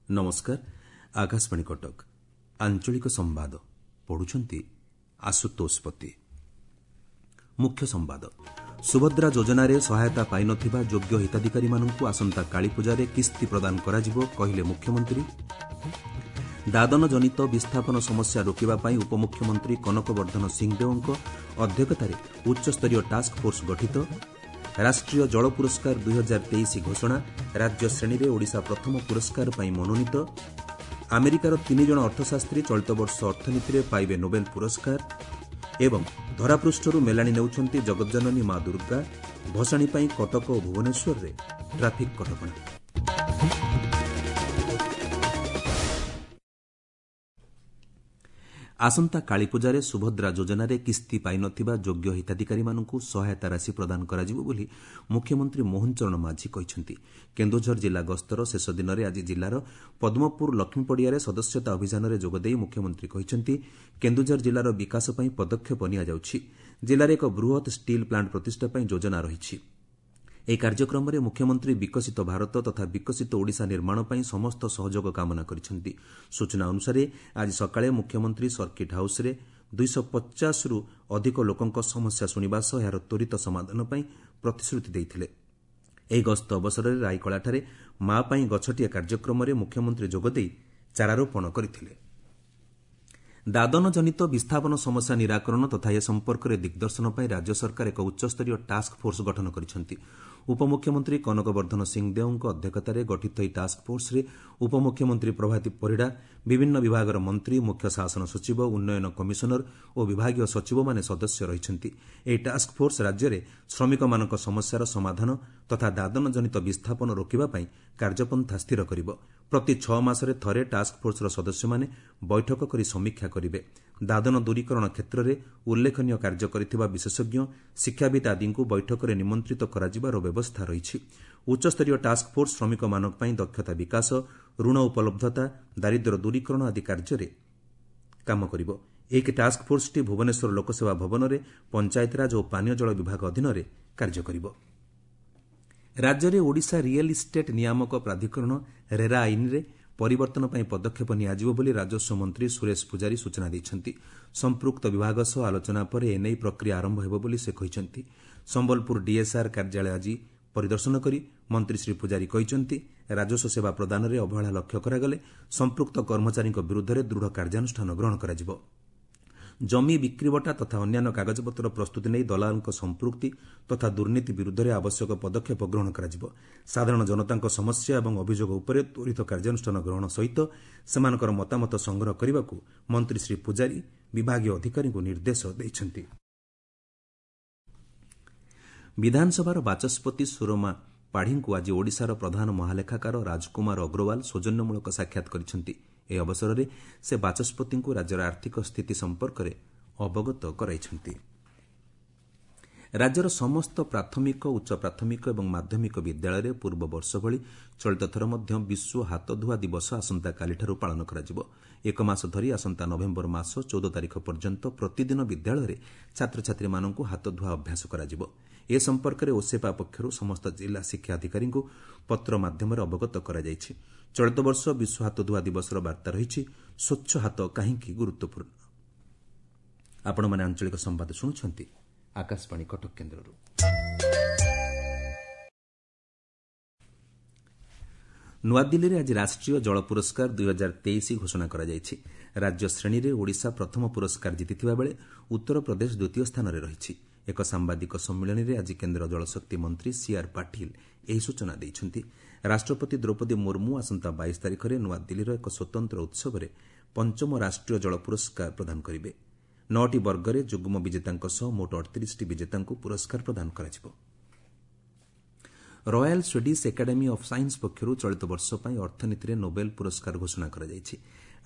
ନମସ୍କାର, ଆକାଶବାଣୀ କଟକ। ଆଞ୍ଚଳିକ ସମ୍ବାଦ ପଢୁଛନ୍ତି ଆଶୁତୋଷ ପତି। ମୁଖ୍ୟ ସମ୍ବାଦ। ସୁଭଦ୍ରା ଯୋଜନାରେ ସହାୟତା ପାଇନଥିବା ଯୋଗ୍ୟ ହିତାଧିକାରୀମାନଙ୍କୁ ଆସନ୍ତା କାଳୀପୂଜାରେ କିସ୍ତି ପ୍ରଦାନ କରାଯିବ, କହିଲେ ମୁଖ୍ୟମନ୍ତ୍ରୀ। ଦାଦନଜନିତ ବିସ୍ଥାପନ ସମସ୍ୟା ରୋକିବା ପାଇଁ ଉପମୁଖ୍ୟମନ୍ତ୍ରୀ କନକବର୍ଦ୍ଧନ ସିଂହଦେଓଙ୍କ ଅଧ୍ୟକ୍ଷତାରେ ଉଚ୍ଚସ୍ତରୀୟ ଟାସ୍କଫୋର୍ସ ଗଠିତ। ରାଷ୍ଟ୍ରୀୟ ଜଳ ପୁରସ୍କାର 2023 ଘୋଷଣା, ରାଜ୍ୟ ଶ୍ରେଣୀରେ ଓଡ଼ିଶା ପ୍ରଥମ ପୁରସ୍କାର ପାଇଁ ମନୋନୀତ। ଆମେରିକାର 3 ଜଣ ଅର୍ଥଶାସ୍ତ୍ରୀ ଚଳିତ ବର୍ଷ ଅର୍ଥନୀତିରେ ପାଇବେ ନୋବେଲ ପୁରସ୍କାର। ଏବଂ ଧରାପୃଷ୍ଠରୁ ମେଲାଣି ନେଉଛନ୍ତି ଜଗଜ୍ଜନନୀ ମା ଦୁର୍ଗା, ଭସାଣି ପାଇଁ କଟକ ଓ ଭୁବନେଶ୍ୱରରେ ଟ୍ରାଫିକ୍ କଟକଣା। ଆସନ୍ତା କାଳୀପୂଜାରେ ସୁଭଦ୍ରା ଯୋଜନାରେ କିସ୍ତି ପାଇନଥିବା ଯୋଗ୍ୟ ହିତାଧିକାରୀମାନଙ୍କୁ ସହାୟତା ରାଶି ପ୍ରଦାନ କରାଯିବ ବୋଲି ମୁଖ୍ୟମନ୍ତ୍ରୀ ମୋହନ ଚରଣ ମାଝୀ କହିଛନ୍ତି। କେନ୍ଦୁଝର ଜିଲ୍ଲା ଗସ୍ତର ଶେଷ ଦିନରେ ଆଜି ଜିଲ୍ଲାର ପଦ୍ମପୁର ଲକ୍ଷ୍ମୀପଡ଼ିଆରେ ସଦସ୍ୟତା ଅଭିଯାନରେ ଯୋଗଦେଇ ମୁଖ୍ୟମନ୍ତ୍ରୀ କହିଛନ୍ତି, କେନ୍ଦୁଝର ଜିଲ୍ଲାର ବିକାଶ ପାଇଁ ପଦକ୍ଷେପ ନିଆଯାଉଛି। ଜିଲ୍ଲାରେ ଏକ ବୃହତ୍ ଷ୍ଟିଲ୍ ପ୍ଲାଣ୍ଟ ପ୍ରତିଷ୍ଠା ପାଇଁ ଯୋଜନା ରହିଛି। ଏହି କାର୍ଯ୍ୟକ୍ରମରେ ମୁଖ୍ୟମନ୍ତ୍ରୀ ବିକଶିତ ଭାରତ ତଥା ବିକଶିତ ଓଡ଼ିଶା ନିର୍ମାଣ ପାଇଁ ସମସ୍ତ ସହଯୋଗ କାମନା କରିଛନ୍ତି। ସୂଚନା ଅନୁସାରେ ଆଜି ସକାଳେ ମୁଖ୍ୟମନ୍ତ୍ରୀ ସର୍କିଟ୍ ହାଉସ୍ରେ 250ରୁ ଅଧିକ ଲୋକଙ୍କ ସମସ୍ୟା ଶୁଣିବା ସହ ଏହାର ତ୍ୱରିତ ସମାଧାନ ପାଇଁ ପ୍ରତିଶ୍ରୁତି ଦେଇଥିଲେ। ଏହି ଗସ୍ତ ଅବସରରେ ରାଇକଳାଠାରେ ମା ପାଇଁ ଗଛଟିଏ କାର୍ଯ୍ୟକ୍ରମରେ ମୁଖ୍ୟମନ୍ତ୍ରୀ ଯୋଗଦେଇ ଚାରାରୋପଣ କରିଥିଲେ। ଦାଦନଜନିତ ବିସ୍ଥାପନ ସମସ୍ୟା ନିରାକରଣ ତଥା ଏ ସମ୍ପର୍କରେ ଦିଗ୍ଦର୍ଶନ ପାଇଁ ରାଜ୍ୟ ସରକାର ଏକ ଉଚ୍ଚସ୍ତରୀୟ ଟାସ୍କ ଫୋର୍ସ ଗଠନ କରିଛନ୍ତି। ଉପମୁଖ୍ୟମନ୍ତ୍ରୀ କନକବର୍ଦ୍ଧନ ସିଂହଦେଓଙ୍କ ଅଧ୍ୟକ୍ଷତାରେ ଗଠିତ ଏହି ଟାସ୍କ ଫୋର୍ସରେ ଉପମୁଖ୍ୟମନ୍ତ୍ରୀ ପ୍ରଭାତୀ ପରିଡ଼ା, ବିଭିନ୍ନ ବିଭାଗର ମନ୍ତ୍ରୀ, ମୁଖ୍ୟ ଶାସନ ସଚିବ, ଉନ୍ନୟନ କମିଶନର ଓ ବିଭାଗୀୟ ସଚିବମାନେ ସଦସ୍ୟ ରହିଛନ୍ତି। ଏହି ଟାସ୍କ ଫୋର୍ସ ରାଜ୍ୟରେ ଶ୍ରମିକମାନଙ୍କ ସମସ୍ୟାର ସମାଧାନ ତଥା ଦାଦନଜନିତ ବିସ୍ଥାପନ ରୋକିବା ପାଇଁ କାର୍ଯ୍ୟପନ୍ଥା ସ୍ଥିର କରିବ। ପ୍ରତି 6 ମାସରେ ଥରେ ଟାସ୍କ ଫୋର୍ସର ସଦସ୍ୟମାନେ ବୈଠକ କରି ସମୀକ୍ଷା କରିବେ। ଦାଦନ ଦୂରୀକରଣ କ୍ଷେତ୍ରରେ ଉଲ୍ଲେଖନୀୟ କାର୍ଯ୍ୟ କରିଥିବା ବିଶେଷଜ୍ଞ, ଶିକ୍ଷାବିତ୍ ଆଦିଙ୍କୁ ବୈଠକରେ ନିମନ୍ତ୍ରିତ କରାଯିବାର ବ୍ୟବସ୍ଥା ରହିଛି। ଉଚ୍ଚସ୍ତରୀୟ ଟାସ୍କ ଫୋର୍ସ ଶ୍ରମିକମାନଙ୍କ ପାଇଁ ଦକ୍ଷତା ବିକାଶ, ଋଣ ଉପଲବ୍ଧତା, ଦାରିଦ୍ର୍ୟ ଦୂରୀକରଣ ଆଦି କାର୍ଯ୍ୟରେ କାମ କରିବ। ଏହି ଟାସ୍କ ଫୋର୍ସଟି ଭୁବନେଶ୍ୱର ଲୋକସେବା ଭବନରେ ପଞ୍ଚାୟତିରାଜ ଓ ପାନୀୟ ଜଳ ବିଭାଗ ଅଧୀନରେ କାର୍ଯ୍ୟ କରିବ। ରାଜ୍ୟରେ ଓଡ଼ିଶା ରିଏଲ୍ ଇଷ୍ଟେଟ୍ ନିୟାମକ ପ୍ରାଧିକରଣ ରେରା ଆଇନରେ ପରିବର୍ତ୍ତନ ପାଇଁ ପଦକ୍ଷେପ ନିଆଯିବ ବୋଲି ରାଜସ୍ୱ ମନ୍ତ୍ରୀ ସୁରେଶ ପୂଜାରୀ ସୂଚନା ଦେଇଛନ୍ତି। ସମ୍ପୃକ୍ତ ବିଭାଗ ସହ ଆଲୋଚନା ପରେ ଏନେଇ ପ୍ରକ୍ରିୟା ଆରମ୍ଭ ହେବ ବୋଲି ସେ କହିଛନ୍ତି। ସମ୍ବଲପୁର ଡିଏସ୍ଆର୍ କାର୍ଯ୍ୟାଳୟ ଆଜି ପରିଦର୍ଶନ କରି ମନ୍ତ୍ରୀ ଶ୍ରୀ ପୂଜାରୀ କହିଛନ୍ତି, ରାଜସ୍ୱ ସେବା ପ୍ରଦାନରେ ଅବହେଳା ଲକ୍ଷ୍ୟ କରାଗଲେ ସମ୍ପୃକ୍ତ କର୍ମଚାରୀଙ୍କ ବିରୁଦ୍ଧରେ ଦୃଢ଼ କାର୍ଯ୍ୟାନୁଷ୍ଠାନ ଗ୍ରହଣ କରାଯିବ। ଜମି ବିକ୍ରିବଟା ତଥା ଅନ୍ୟାନ୍ୟ କାଗଜପତ୍ର ପ୍ରସ୍ତୁତି ନେଇ ଦଲାଲଙ୍କ ସମ୍ପୃକ୍ତି ତଥା ଦୁର୍ନୀତି ବିରୁଦ୍ଧରେ ଆବଶ୍ୟକ ପଦକ୍ଷେପ ଗ୍ରହଣ କରାଯିବ। ସାଧାରଣ ଜନତାଙ୍କ ସମସ୍ୟା ଏବଂ ଅଭିଯୋଗ ଉପରେ ତ୍ୱରିତ କାର୍ଯ୍ୟାନୁଷ୍ଠାନ ଗ୍ରହଣ ସହିତ ସେମାନଙ୍କର ମତାମତ ସଂଗ୍ରହ କରିବାକୁ ମନ୍ତ୍ରୀ ଶ୍ରୀ ପୂଜାରୀ ବିଭାଗୀୟ ଅଧିକାରୀଙ୍କୁ ନିର୍ଦ୍ଦେଶ ଦେଇଛନ୍ତି। ବିଧାନସଭାର ବାଚସ୍ପତି ସୁରମା ପାଢ଼ୀଙ୍କୁ ଆଜି ଓଡ଼ିଶାର ପ୍ରଧାନ ମହାଲେଖାକାର ରାଜକୁମାର ଅଗ୍ରୱାଲ ସୌଜନ୍ୟମୂଳକ ସାକ୍ଷାତ କରିଛନ୍ତି। ଏହି ଅବସରରେ ସେ ବାଚସ୍ପତିଙ୍କୁ ରାଜ୍ୟର ଆର୍ଥିକ ସ୍ଥିତି ସମ୍ପର୍କରେ ଅବଗତ କରାଇଛନ୍ତି। ରାଜ୍ୟର ସମସ୍ତ ପ୍ରାଥମିକ, ଉଚ୍ଚ ପ୍ରାଥମିକ ଏବଂ ମାଧ୍ୟମିକ ବିଦ୍ୟାଳୟରେ ପୂର୍ବ ବର୍ଷ ଭଳି ଚଳିତ ଥର ମଧ୍ୟ ବିଶ୍ୱ ହାତଧୁଆ ଦିବସ ଆସନ୍ତାକାଲିଠାରୁ ପାଳନ କରାଯିବ। ଏକ ମାସ ଧରି ଆସନ୍ତା ନଭେମ୍ବର ମାସ 14 ତାରିଖ ପର୍ଯ୍ୟନ୍ତ ପ୍ରତିଦିନ ବିଦ୍ୟାଳୟରେ ଛାତ୍ରଛାତ୍ରୀମାନଙ୍କୁ ହାତଧୁଆ ଅଭ୍ୟାସ କରାଯିବ। ଏ ସମ୍ପର୍କରେ ଓସେପା ପକ୍ଷରୁ ସମସ୍ତ ଜିଲ୍ଲା ଶିକ୍ଷା ଅଧିକାରୀଙ୍କୁ ପତ୍ର ମାଧ୍ୟମରେ ଅବଗତ କରାଯାଇଛି। ଚଳିତ ବର୍ଷ ବିଶ୍ୱ ହାତଧୁଆ ଦିବସର ବାର୍ତ୍ତା ରହିଛି, ସ୍ୱଚ୍ଛ ହାତ କାହିଁକି ଗୁରୁତ୍ୱପୂର୍ଣ୍ଣ। ଆପଣମାନେ ଆଞ୍ଚଳିକ ସମ୍ବାଦ ଶୁଣୁଛନ୍ତି ଆକାଶବାଣୀ କଟକ କେନ୍ଦ୍ରରୁ। ନୂଆଦିଲ୍ଲୀରେ ଆଜି ରାଷ୍ଟ୍ରୀୟ ଜଳ ପୁରସ୍କାର 2023 ଘୋଷଣା କରାଯାଇଛି। ରାଜ୍ୟ ଶ୍ରେଣୀରେ ଓଡ଼ିଶା ପ୍ରଥମ ପୁରସ୍କାର ଜିତିଥିବା ବେଳେ ଉତ୍ତରପ୍ରଦେଶ ଦ୍ୱିତୀୟ ସ୍ଥାନରେ ରହିଛି। ଏକ ସାମ୍ବାଦିକ ସମ୍ମିଳନୀରେ ଆଜି କେନ୍ଦ୍ର ଜଳଶକ୍ତି ମନ୍ତ୍ରୀ ସିଆର୍ ପାଟିଲ ଏହି ସୂଚନା ଦେଇଛନ୍ତି। ରାଷ୍ଟ୍ରପତି ଦ୍ରୌପଦୀ ମୁର୍ମୁ ଆସନ୍ତା 22 ତାରିଖରେ ନୂଆଦିଲ୍ଲୀର ଏକ ସ୍ୱତନ୍ତ୍ର ଉତ୍ସବରେ ପଞ୍ଚମ ରାଷ୍ଟ୍ରୀୟ ଜଳ ପୁରସ୍କାର ପ୍ରଦାନ କରିବେ। 9ଟି ବର୍ଗରେ ଯୁଗ୍ମ ବିଜେତାଙ୍କ ସହ ମୋଟ 38ଟି ବିଜେତାଙ୍କୁ ପୁରସ୍କାର ପ୍ରଦାନ କରାଯିବ। Royal Swedish academy of science ପକ୍ଷରୁ ଚଳିତ ବର୍ଷ ପାଇଁ ଅର୍ଥନୀତିରେ ନୋବେଲ ପୁରସ୍କାର ଘୋଷଣା କରାଯାଇଛି।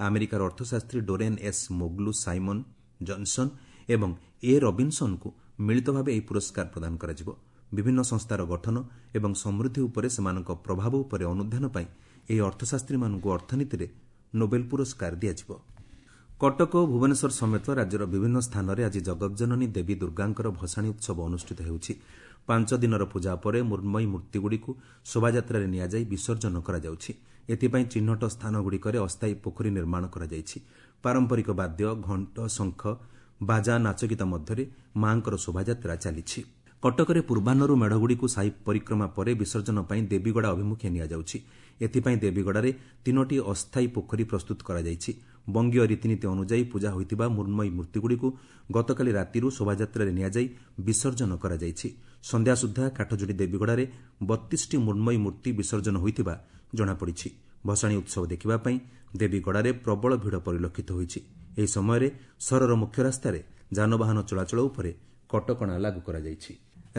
ଆମେରିକାର ଅର୍ଥଶାସ୍ତ୍ରୀ ଡୋରେନ୍ ଏସ୍ ମୋଗ୍ଲୁ, ସାଇମନ୍ ଜନ୍ସନ୍ ଏବଂ ଏ ରବିନ୍ସନ୍ଙ୍କୁ ମିଳିତ ଭାବେ ଏହି ପୁରସ୍କାର ପ୍ରଦାନ କରାଯିବ। ବିଭିନ୍ନ ସଂସ୍ଥାର ଗଠନ ଏବଂ ସମୃଦ୍ଧି ଉପରେ ସେମାନଙ୍କ ପ୍ରଭାବ ଉପରେ ଅନୁଧ୍ୟାନ ପାଇଁ ଏହି ଅର୍ଥଶାସ୍ତ୍ରୀମାନଙ୍କୁ ଅର୍ଥନୀତିରେ ନୋବେଲ ପୁରସ୍କାର ଦିଆଯିବ। କଟକ ଓ ଭୁବନେଶ୍ୱର ସମେତ ରାଜ୍ୟର ବିଭିନ୍ନ ସ୍ଥାନରେ ଆଜି ଜଗତଜନନୀ ଦେବୀ ଦୁର୍ଗାଙ୍କର ଭସାଣୀ ଉତ୍ସବ ଅନୁଷ୍ଠିତ ହେଉଛି। 5 ଦିନର ପୂଜା ପରେ ମୃଣ୍ମୟୀ ମୂର୍ତ୍ତିଗୁଡ଼ିକୁ ଶୋଭାଯାତ୍ରାରେ ନିଆଯାଇ ବିସର୍ଜନ କରାଯାଉଛି। ଏଥିପାଇଁ ଚିହ୍ନଟ ସ୍ଥାନଗୁଡ଼ିକରେ ଅସ୍ଥାୟୀ ପୋଖରୀ ନିର୍ମାଣ କରାଯାଇଛି। ପାରମ୍ପରିକ ବାଦ୍ୟ, ଘଣ୍ଟ, ଶଙ୍ଖ, ବାଜା, ନାଚଗୀତ ମଧ୍ୟରେ ମା'ଙ୍କର ଶୋଭାଯାତ୍ରା ଚାଲିଛି। କଟକରେ ପୂର୍ବାହ୍ନରୁ ମେଢ଼ଗୁଡ଼ିକୁ ସାହି ପରିକ୍ରମା ପରେ ବିସର୍ଜନ ପାଇଁ ଦେବୀଗଡ଼ା ଅଭିମୁଖେ ନିଆଯାଉଛି। ଏଥିପାଇଁ ଦେବୀଗଡ଼ାରେ 3ଟି ଅସ୍ଥାୟୀ ପୋଖରୀ ପ୍ରସ୍ତୁତ କରାଯାଇଛି। ବଙ୍ଗୀୟ ରୀତିନୀତି ଅନୁଯାୟୀ ପୂଜା ହୋଇଥିବା ମୃଣ୍ମୟୀ ମୂର୍ତ୍ତିଗୁଡ଼ିକୁ ଗତକାଲି ରାତିରୁ ଶୋଭାଯାତ୍ରାରେ ନିଆଯାଇ ବିସର୍ଜନ କରାଯାଇଛି। ସନ୍ଧ୍ୟା ସୁଦ୍ଧା କାଠଯୋଡ଼ି ଦେବୀଗଡ଼ାରେ 32ଟି ମୃଣ୍ମୟୀ ମୂର୍ତ୍ତି ବିସର୍ଜନ ହୋଇଥିବା ଜଣାପଡ଼ିଛି। ଭସାଣୀ ଉତ୍ସବ ଦେଖିବା ପାଇଁ ଦେବୀଗଡ଼ାରେ ପ୍ରବଳ ଭିଡ଼ ପରିଲକ୍ଷିତ ହୋଇଛି। ଏହି ସମୟରେ ସହରର ମୁଖ୍ୟ ରାସ୍ତାରେ ଯାନବାହନ ଚଳାଚଳ ଉପରେ କଟକଣା ଲାଗୁ କରାଯାଇଛି।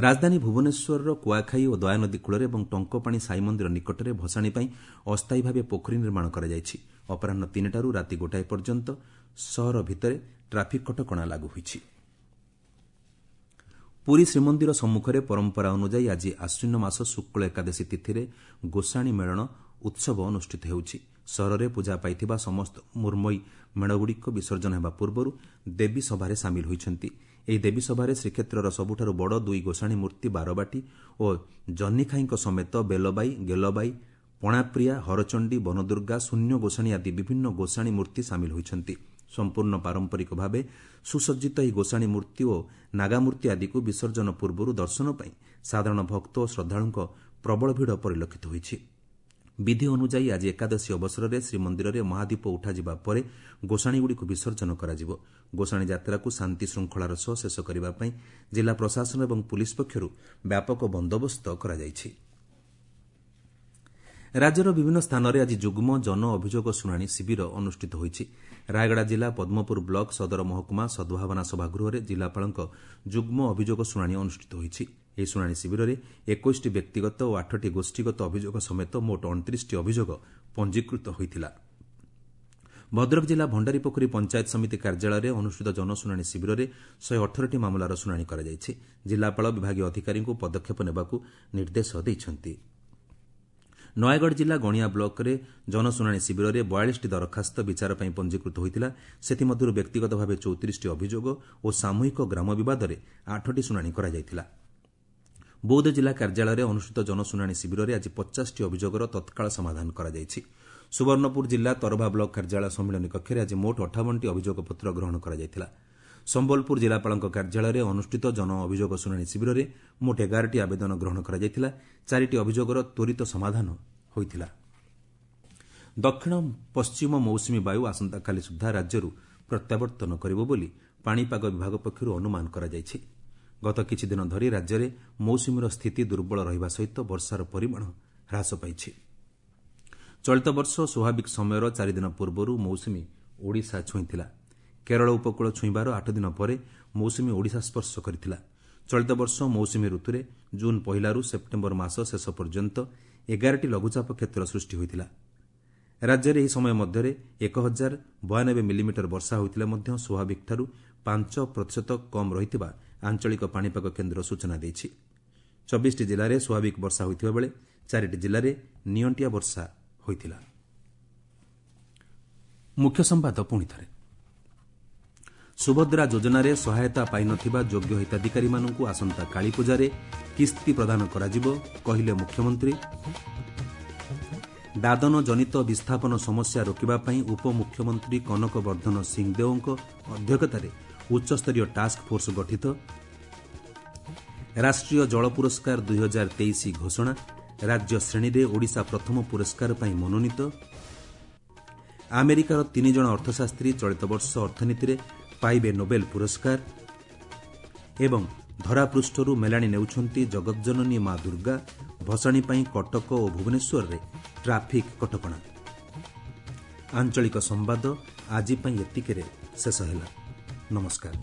ରାଜଧାନୀ ଭୁବନେଶ୍ୱରର କୁଆଖାଇ ଓ ଦୟାନଦୀ କୂଳରେ ଏବଂ ଟଙ୍କପାଣି ସାଇ ମନ୍ଦିର ନିକଟରେ ଭସାଣୀ ପାଇଁ ଅସ୍ଥାୟୀ ଭାବେ ପୋଖରୀ ନିର୍ମାଣ କରାଯାଇଛି। ଅପରାହ୍ନ 3ଟାରୁ ରାତି 1 ପର୍ଯ୍ୟନ୍ତ ସହର ଭିତରେ ଟ୍ରାଫିକ୍ କଟକଣା ଲାଗୁ ହୋଇଛି। ପୁରୀ ଶ୍ରୀମନ୍ଦିର ସମ୍ମୁଖରେ ପରମ୍ପରା ଅନୁଯାୟୀ ଆଜି ଆଶ୍ୱିନ ମାସ ଶୁକ୍ଳ ଏକାଦଶୀ ତିଥିରେ ଗୋସାଣୀ ମେଳଣ ଉତ୍ସବ ଅନୁଷ୍ଠିତ ହେଉଛି। ସହରରେ ପୂଜା ପାଇଥିବା ସମସ୍ତ ମୃଣ୍ମୟୀ ମେଢ଼ଗୁଡ଼ିକ ବିସର୍ଜନ ହେବା ପୂର୍ବରୁ ଦେବୀ ସଭାରେ ସାମିଲ ହୋଇଛନ୍ତି। ଏହି ଦେବୀ ସଭାରେ ଶ୍ରୀକ୍ଷେତ୍ରର ସବୁଠାରୁ ବଡ଼ 2 ଗୋସାଣୀ ମୂର୍ତ୍ତି ବାରବାଟୀ ଓ ଜହ୍ନିଖାଇଙ୍କ ସମେତ ବେଲବାଇ, ଗେଲବାଇ, ପଣାପ୍ରିୟା, ହରଚଣ୍ଡୀ, ବନଦୁର୍ଗା, ଶୂନ୍ୟ ଗୋସାଣୀ ଆଦି ବିଭିନ୍ନ ଗୋସାଣୀ ମୂର୍ତ୍ତି ସାମିଲ ହୋଇଛନ୍ତି। ସମ୍ପୂର୍ଣ୍ଣ ପାରମ୍ପରିକ ଭାବେ ସୁସଜ୍ଜିତ ଏହି ଗୋସାଣୀ ମୂର୍ତ୍ତି ଓ ନାଗାମୂର୍ତ୍ତି ଆଦିକୁ ବିସର୍ଜନ ପୂର୍ବରୁ ଦର୍ଶନ ପାଇଁ ସାଧାରଣ ଭକ୍ତ ଓ ଶ୍ରଦ୍ଧାଳୁଙ୍କ ପ୍ରବଳ ଭିଡ଼ ପରିଲକ୍ଷିତ ହୋଇଛି। ବିଧି ଅନୁଯାୟୀ ଆଜି ଏକାଦଶୀ ଅବସରରେ ଶ୍ରୀମନ୍ଦିରରେ ମହାଦୀପ ଉଠାଯିବା ପରେ ଗୋସାଣୀଗୁଡ଼ିକୁ ବିସର୍ଜନ କରାଯିବ। ଗୋସାଣୀ ଯାତ୍ରାକୁ ଶାନ୍ତି ଶୃଙ୍ଖଳାର ସହ ଶେଷ କରିବା ପାଇଁ ଜିଲ୍ଲା ପ୍ରଶାସନ ଏବଂ ପୁଲିସ୍ ପକ୍ଷରୁ ବ୍ୟାପକ ବନ୍ଦୋବସ୍ତ କରାଯାଇଛି। ରାଜ୍ୟର ବିଭିନ୍ନ ସ୍ଥାନରେ ଆଜି ଯୁଗ୍ମ ଜନ ଅଭିଯୋଗ ଶୁଣାଣି ଶିବିର ଅନୁଷ୍ଠିତ ହୋଇଛି। ରାୟଗଡ଼ା ଜିଲ୍ଲା ପଦ୍ମପୁର ବ୍ଲକ ସଦର ମହକୁମା ସଦ୍ଭାବନା ସଭାଗୃହରେ ଜିଲ୍ଲାପାଳଙ୍କ ଯୁଗ୍ମ ଅଭିଯୋଗ ଶୁଣାଣି ଅନୁଷ୍ଠିତ ହୋଇଛି। ଏହି ଶୁଣାଣି ଶିବିରରେ 21ଟି ବ୍ୟକ୍ତିଗତ ଓ 8ଟି ଗୋଷ୍ଠୀଗତ ଅଭିଯୋଗ ସମେତ ମୋଟ 29ଟି ଅଭିଯୋଗ ପଞ୍ଜୀକୃତ ହୋଇଥିଲା। ଭଦ୍ରକ ଜିଲ୍ଲା ଭଣ୍ଡାରୀପୋଖରୀ ପଞ୍ଚାୟତ ସମିତି କାର୍ଯ୍ୟାଳୟରେ ଅନୁଷ୍ଠିତ ଜନଶୁଣାଣି ଶିବିରରେ 118ଟି ମାମଲାର ଶୁଣାଣି କରାଯାଇଛି। ଜିଲ୍ଲାପାଳ ବିଭାଗୀୟ ଅଧିକାରୀଙ୍କୁ ପଦକ୍ଷେପ ନେବାକୁ ନିର୍ଦ୍ଦେଶ ଦେଇଛନ୍ତି। ନୟାଗଡ଼ ଜିଲ୍ଲା ଗଣିଆ ବ୍ଲକରେ ଜନଶୁଣାଣି ଶିବିରରେ 42ଟି ଦରଖାସ୍ତ ବିଚାର ପାଇଁ ପଞ୍ଜୀକୃତ ହୋଇଥିଲା। ସେଥିମଧ୍ୟରୁ ବ୍ୟକ୍ତିଗତ ଭାବେ 34ଟି ଅଭିଯୋଗ ଓ ସାମୂହିକ ଗ୍ରାମ ବିବାଦରେ 8ଟି ଶୁଣାଣି କରାଯାଇଥିଲା। ବୌଦ୍ଧ ଜିଲ୍ଲା କାର୍ଯ୍ୟାଳୟରେ ଅନୁଷ୍ଠିତ ଜନଶୁଣାଣି ଶିବିରରେ ଆଜି 50ଟି ଅଭିଯୋଗର ତତ୍କାଳ ସମାଧାନ କରାଯାଇଛି। ସୁବର୍ଣ୍ଣପୁର ଜିଲ୍ଲା ତରଭା ବ୍ଲକ କାର୍ଯ୍ୟାଳୟ ସମ୍ମିଳନୀ କକ୍ଷରେ ଆଜି ମୋଟ 58ଟି ଅଭିଯୋଗ ପତ୍ର ଗ୍ରହଣ କରାଯାଇଥିଲା। ସମ୍ବଲପୁର ଜିଲ୍ଲାପାଳଙ୍କ କାର୍ଯ୍ୟାଳୟରେ ଅନୁଷ୍ଠିତ ଜନ ଅଭିଯୋଗ ଶୁଣାଣି ଶିବିରରେ ମୋଟ 11ଟି ଆବେଦନ ଗ୍ରହଣ କରାଯାଇଥିଲା। 4ଟି ଅଭିଯୋଗର ତ୍ୱରିତ ସମାଧାନ ହୋଇଥିଲା। ଦକ୍ଷିଣ ପଶ୍ଚିମ ମୌସୁମୀ ବାୟୁ ଆସନ୍ତାକାଲି ସୁଦ୍ଧା ରାଜ୍ୟରୁ ପ୍ରତ୍ୟାବର୍ତ୍ତନ କରିବ ବୋଲି ପାଣିପାଗ ବିଭାଗ ପକ୍ଷରୁ ଅନୁମାନ କରାଯାଇଛି। ଗତ କିଛିଦିନ ଧରି ରାଜ୍ୟରେ ମୌସୁମୀର ସ୍ଥିତି ଦୁର୍ବଳ ରହିବା ସହିତ ବର୍ଷାର ପରିମାଣ ହ୍ରାସ ପାଇଛି। ଚଳିତ ବର୍ଷ ସ୍ୱାଭାବିକ ସମୟର 4 ଦିନ ପୂର୍ବରୁ ମୌସୁମୀ ଓଡ଼ିଶା ଛୁଇଁଥିଲା। କେରଳ ଉପକୂଳ ଛୁଇଁବାର 8 ଦିନ ପରେ ମୌସୁମୀ ଓଡ଼ିଶା ସ୍ପର୍ଶ କରିଥିଲା। ଚଳିତ ବର୍ଷ ମୌସୁମୀ ଋତୁରେ ଜୁନ୍ 1ରୁ ସେପ୍ଟେମ୍ବର ମାସ ଶେଷ ପର୍ଯ୍ୟନ୍ତ 11ଟି ଲଘୁଚାପ କ୍ଷେତ୍ର ସୃଷ୍ଟି ହୋଇଥିଲା। ରାଜ୍ୟରେ ଏହି ସମୟ ମଧ୍ୟରେ 1092 ମିଲିମିଟର ବର୍ଷା ହୋଇଥିଲେ ମଧ୍ୟ ସ୍ୱାଭାବିକଠାରୁ 5% କମ୍ ରହିଥିବା ଆଞ୍ଚଳିକ ପାଣିପାଗ କେନ୍ଦ୍ର ସୂଚନା ଦେଇଛି। 24ଟି ଜିଲ୍ଲାରେ ସ୍ୱାଭାବିକ ବର୍ଷା ହୋଇଥିବା ବେଳେ 4ଟି ଜିଲ୍ଲାରେ ନିଅଣ୍ଟିଆ ବର୍ଷା ହୋଇଥିଲା। ମୁଖ୍ୟ ସମ୍ବାଦ ପୁଣିଥରେ। ସୁଭଦ୍ରା ଯୋଜନାରେ ସହାୟତା ପାଇନଥିବା ଯୋଗ୍ୟ ହିତାଧିକାରୀମାନଙ୍କୁ ଆସନ୍ତା କାଳୀପୂଜାରେ କିସ୍ତି ପ୍ରଦାନ କରାଯିବ, କହିଲେ ମୁଖ୍ୟମନ୍ତ୍ରୀ। ଦାଦନ ଜନିତ ବିସ୍ଥାପନ ସମସ୍ୟା ରୋକିବା ପାଇଁ ଉପମୁଖ୍ୟମନ୍ତ୍ରୀ କନକ ବର୍ଦ୍ଧନ ସିଂଦେଓଙ୍କ ଅଧ୍ୟକ୍ଷତାରେ ଉଚ୍ଚସ୍ତରୀୟ ଟାସ୍କ ଫୋର୍ସ ଗଠିତ। ରାଷ୍ଟ୍ରୀୟ ଜଳ ପୁରସ୍କାର 2023 ଘୋଷଣା, ରାଜ୍ୟ ଶ୍ରେଣୀରେ ଓଡ଼ିଶା ପ୍ରଥମ ପୁରସ୍କାର ପାଇଁ ମନୋନୀତ। ଆମେରିକାର 3 ଜଣ ଅର୍ଥଶାସ୍ତ୍ରୀ ଚଳିତ ବର୍ଷ ଅର୍ଥନୀତିରେ ପାଇବେ ନୋବେଲ ପୁରସ୍କାର। ଏବଂ ଧରାପୃଷ୍ଠରୁ ମେଲାଣି ନେଉଛନ୍ତି ଜଗତଜନନୀ ମା ଦୁର୍ଗା, ଭସାଣୀ ପାଇଁ କଟକ ଓ ଭୁବନେଶ୍ୱରରେ ଟ୍ରାଫିକ୍ କଟକଣା। ଆଞ୍ଚଳିକ ସମ୍ବାଦ ଆଜି ପାଇଁ ଏତିକିରେ ଶେଷ ହେଲା। ନମସ୍କାର।